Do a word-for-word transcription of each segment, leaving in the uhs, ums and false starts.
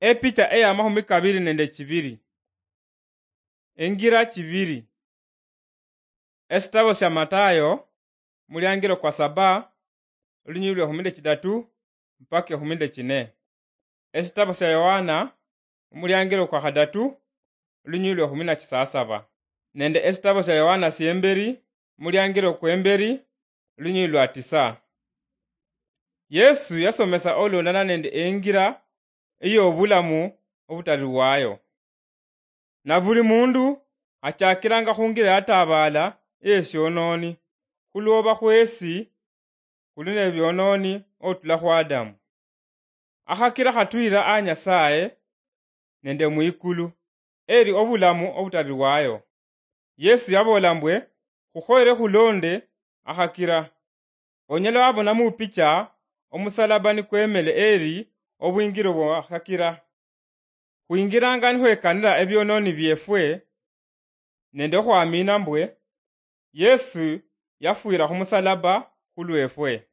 Epicha eya mahumi kabiri nende chibiri. Engira chibiri. Esitabo sya Matayo, muliangiro kwa saba, olunyuyi lwa ehumi nde chidatu mpaka ehumi nde chine. Esitabo sya Yohana, omuliangiro kwa khadatu, olunyuyi lwa ehumi na chisasaba, nende esitabo sya Yohana syemberi, omuliangiro kwemberi, olunyuyi lwa tisa. Yesu yasomesa olondana nende engira ey'obulamu obutalirwayo. Na buli mundu achakiranga khungira yatabaala ey'esyononi, khulwoba khwesi khuli nebyononi otula khu Adamu. Akhakira khatuyira a Nyasaye nende mwikulu, eri obulamu obutalirwayo. Yesu yaboola mbwe, khukhoyere khulonde akhakira. Onyala wabona mupicha omusalaba nikwemele eri obwingiro bwa akhakira. Khwingiranga nikhwekanira ebyononi byefwe nende okhwamina mbwe Yesu yafwira khumusalaba khulwefwe.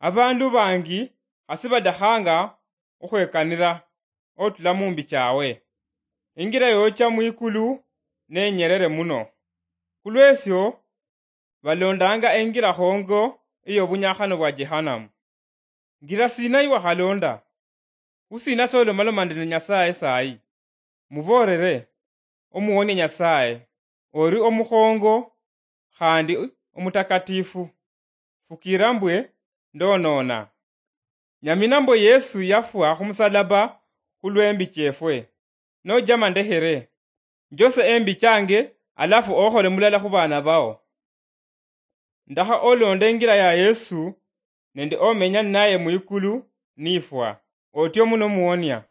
Abandu bangi khasi badakhanga okhwekanira otula mumbi chawe. Ingira yocha mwikulu nenyerere muno. Khulwesyo balondanga engira khongo eyobunyakhano bwa Jehanamu. Ngira sina iwakhalonda? Khusina solomaloma nende Nyasaye sayi? Muboolere, Omuwonia Nyasaye, ori omukhongo khandi omutakatifu. Fukira mbwe ndonona. Nyamina mbwe Yesu yafwa khumusalaba khulwembi chefwe. Nojama ndekhere, njose embi change, alafu okhole mulala khubana bao. Ndakha olonde ingira ya Yesu nende omenya ninaye mwikulu nifwa, otyo muno muwonia.